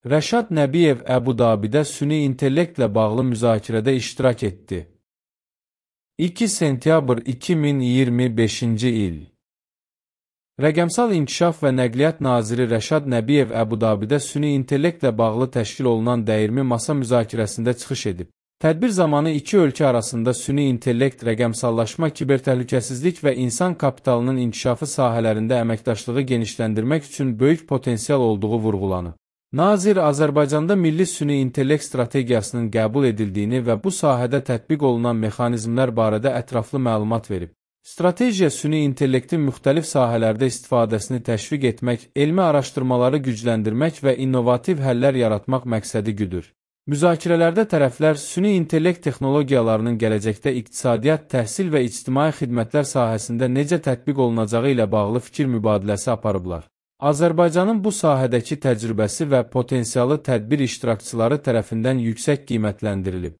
Rəşad Nəbiyev Əbu-Dabidə süni intellektlə bağlı müzakirədə iştirak etdi. 2 sentyabr 2025-ci il. Rəqəmsal İnkişaf və Nəqliyyat Naziri Rəşad Nəbiyev Əbu-Dabidə süni intellektlə bağlı təşkil olunan dəyirmi masa müzakirəsində çıxış edib. Tədbir zamanı iki ölkə arasında süni intellekt, rəqəmsallaşma, kibertəhlükəsizlik və insan kapitalının inkişafı sahələrində əməkdaşlığı genişləndirmək üçün böyük potensial olduğu vurğulanıb. Nazir Azərbaycanda milli süni intellekt strategiyasının qəbul edildiyini və bu sahədə tətbiq olunan mexanizmlər barədə ətraflı məlumat verib. Strategiya süni intellektin müxtəlif sahələrdə istifadəsini təşviq etmək, elmi araşdırmaları gücləndirmək və innovativ həllər yaratmaq məqsədi güdür. Müzakirələrdə tərəflər süni intellekt texnologiyalarının gələcəkdə iqtisadiyyat, təhsil və ictimai xidmətlər sahəsində necə tətbiq olunacağı ilə bağlı fikir mübadiləsi aparıblar. Azərbaycanın bu sahədəki təcrübəsi və potensialı tədbir iştirakçıları tərəfindən yüksək qiymətləndirilib.